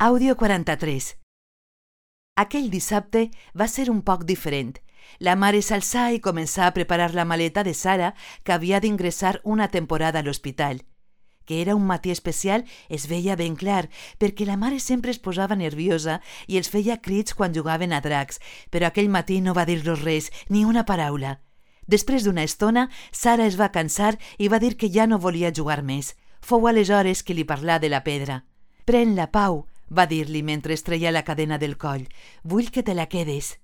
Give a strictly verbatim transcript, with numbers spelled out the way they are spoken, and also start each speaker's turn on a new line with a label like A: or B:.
A: Àudio quaranta-tres. Aquell dissabte va ser un poc diferent. La mare s'alçà i començà a preparar la maleta de Sara, que havia d'ingressar una temporada a l'hospital. Que era un matí especial es veia ben clar, perquè la mare sempre es posava nerviosa i els feia crits quan jugaven a dracs, però aquell matí no va dir-los res, ni una paraula. Després d'una estona, Sara es va cansar i va dir que ja no volia jugar més. Fou aleshores que li parlà de la pedra. «Pren-la, Pau», va dir-li mentre es treia la cadena del coll. «Vull que te la quedes».